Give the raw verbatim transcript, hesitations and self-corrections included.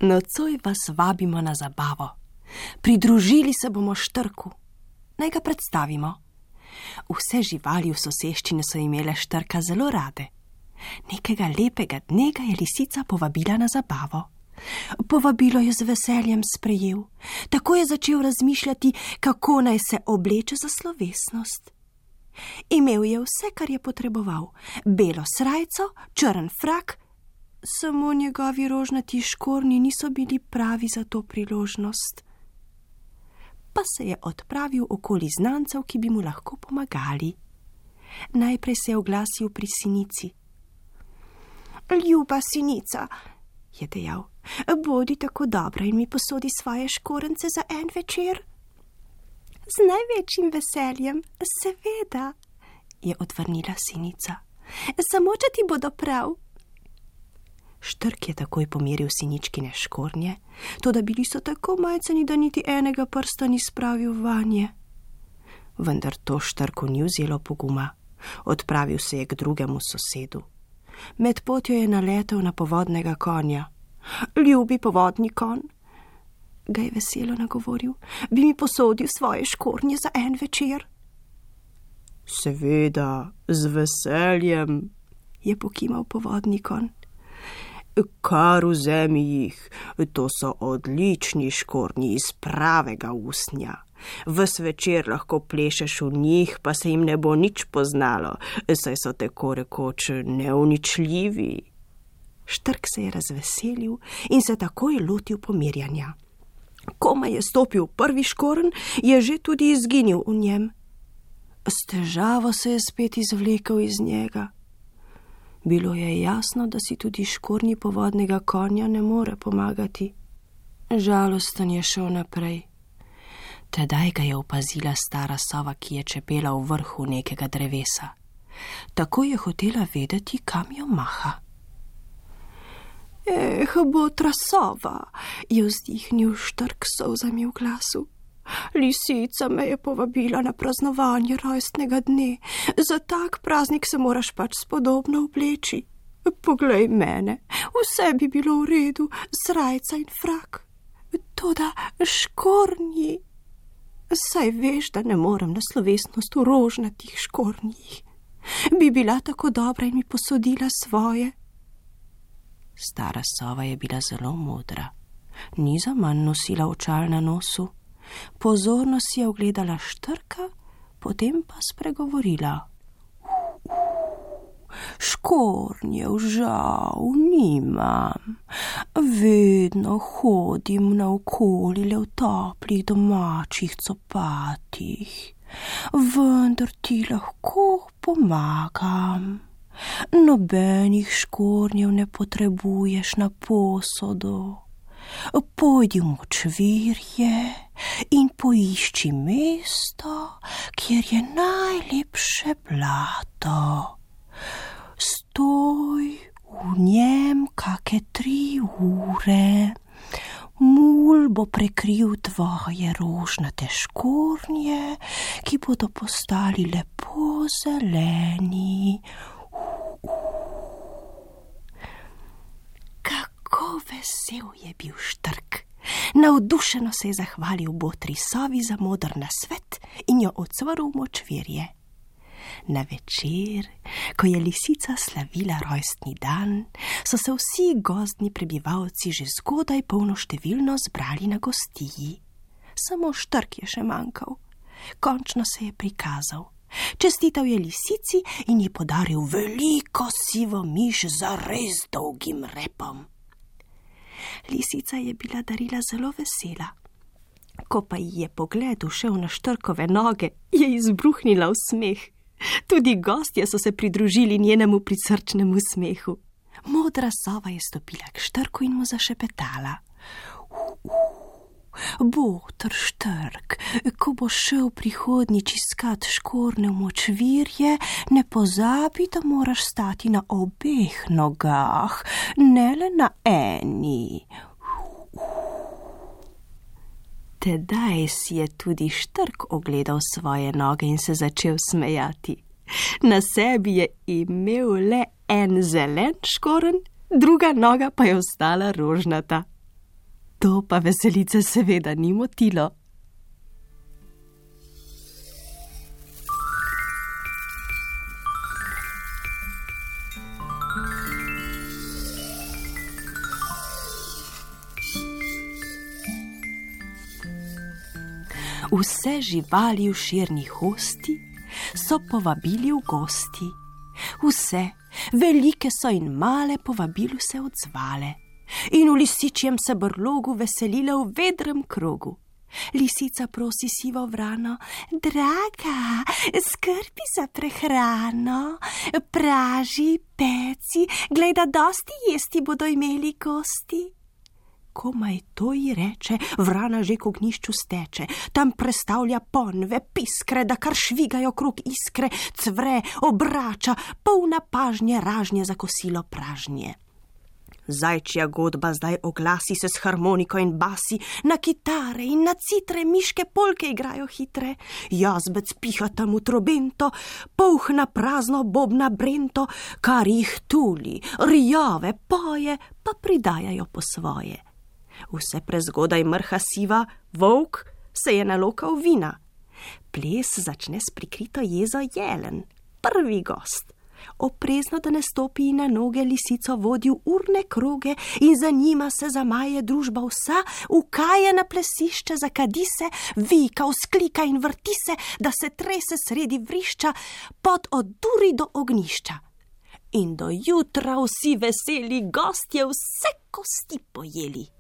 Nocoj vas vabimo na zabavo. Pridružili se bomo Štrku. Naj ga predstavimo. Vse živali v soseščini so imele Štrka zelo rade. Nekega lepega dne ga je lisica povabila na zabavo. Povabilo je z veseljem sprejel. Tako je začel razmišljati, kako naj se obleče za slovesnost. Imel je vse, kar je potreboval. Belo srajco, črn frak, samo njegovi rožnati škornji niso bili pravi za to priložnost. Pa se je odpravil okoli znancev, ki bi mu lahko pomagali. Najprej se je oglasil pri sinici. Ljuba sinica, je dejal, bodi tako dobra in mi posodi svoje škorence za en večer. Z največjim veseljem, seveda, je odvrnila sinica. Samo, če ti bodo prav. Štrk je takoj pomeril siničkine škornje, toda bili so tako majceni, da niti enega prsta ni spravil vanje. Vendar to Štrku ni vzelo poguma. Odpravil se je k drugemu sosedu. Med potjo je naletel na povodnega konja. Ljubi povodni konj, ga je veselo nagovoril, bi mi posodil svoje škornje za en večer. Seveda, z veseljem, je pokimal povodni konj. Kar vzemi jih, to so odlični škornji iz pravega usnja. Ves večer lahko plešeš v njih, pa se jim ne bo nič poznalo, saj so tako rekoč neuničljivi. Štrk se je razveselil in se takoj lotil pomirjanja. Komaj je stopil v prvi škorn, je že tudi izginil v njem. S težavo se je spet izvlekel iz njega. Bilo je jasno, da si tudi škornji povodnega konja ne more pomagati. Žalosten je šel naprej. Tedaj ga je opazila stara sova, ki je čepela v vrhu nekega drevesa. Tako je hotela vedeti, kam jo maha. Eh, botra sova, je vzdihnil Štrk s solzami v glasu. Lisica me je povabila na praznovanje rojstnega dne. Za tak praznik se moraš pač spodobno obleči. Poglej mene, vse bi bilo v redu, srajca in frak. Toda škornji. Saj veš, da ne morem na slovesnost v rožnatih škornjih. Bi bila tako dobra in mi posodila svoje. Stara sova je bila zelo modra. Ni zaman nosila očal na nosu. Pozorno si je ogledala Štrka, potem pa spregovorila. Škornjev žal nimam. Vedno hodim naokoli le v toplih domačih copatih. Vendar ti lahko pomagam. Nobenih škornjev ne potrebuješ na posodo. Pojdi v močvirje in poišči mesto, kjer je najlepše blato. Stoj v njem kake tri ure. Mul bo prekril tvoje rožnate škornje, ki bodo postali lepo zeleni. Kako vesel je bil Štrk. Navdušeno se je zahvalil botri sovi za moder nasvet in jo odsvrl v močvirje. Na večer, ko je lisica slavila rojstni dan, so se vsi gozdni prebivalci že zgodaj polnoštevilno zbrali na gostiji. Samo Štrk je še manjkal. Končno se je prikazal. Čestital je lisici in ji podaril veliko sivo miš z res dolgim repom. Lisica je bila darila zelo vesela. Ko pa ji je pogled ušel na Štrkove noge, je izbruhnila v smeh. Tudi gostje so se pridružili njenemu prisrčnemu smehu. Modra sova je stopila k Štrku in mu zašepetala. Botr Štrk, ko bo šel prihodnjič iskat škorne v močvirje, ne pozabi, da moraš stati na obeh nogah, ne le na eni. Tedaj si je tudi Štrk ogledal svoje noge in se začel smejati. Na sebi je imel le en zelen škoren, druga noga pa je ostala rožnata. To pa veselice seveda ni motilo. Vse živali v širni hosti so povabili v gosti. Vse, velike so in male, povabilu se odzvale in v lisičjem se brlogu veselile v vedrem krogu. Lisica prosi sivo vrano: draga, skrbi za prehrano, praži, peci, glej, da dosti jesti bodo imeli gosti. Komaj to ji reče, vrana že k ognjišču steče, tam prestavlja ponve, piskre, da kar švigajo krog iskre, cvre, obrača, polna pažnje, ražnje za kosilo pražnje. Zajčja godba zdaj oglasi se s harmoniko in basi, na kitare in na citre miške polke igrajo hitre, jazbec piha tam v trobento, polh na prazno bobna brento, kar jih tuli, rjave poje, pa pridajajo po svoje. Vse prezgodaj mrha siva, volk se je nalokal vina. Ples začne s prikrito jezo jelen, prvi gost. Oprezno, da ne stopi na noge, lisico vodi v urne kroge in za njima se zamaje družba vsa, ukaje na plesišče, zakadi se, vika, vzklika in vrti se, da se trese sredi vrišča, pot od duri do ognjišča. In do jutra vsi veseli gostje vse kosti pojeli.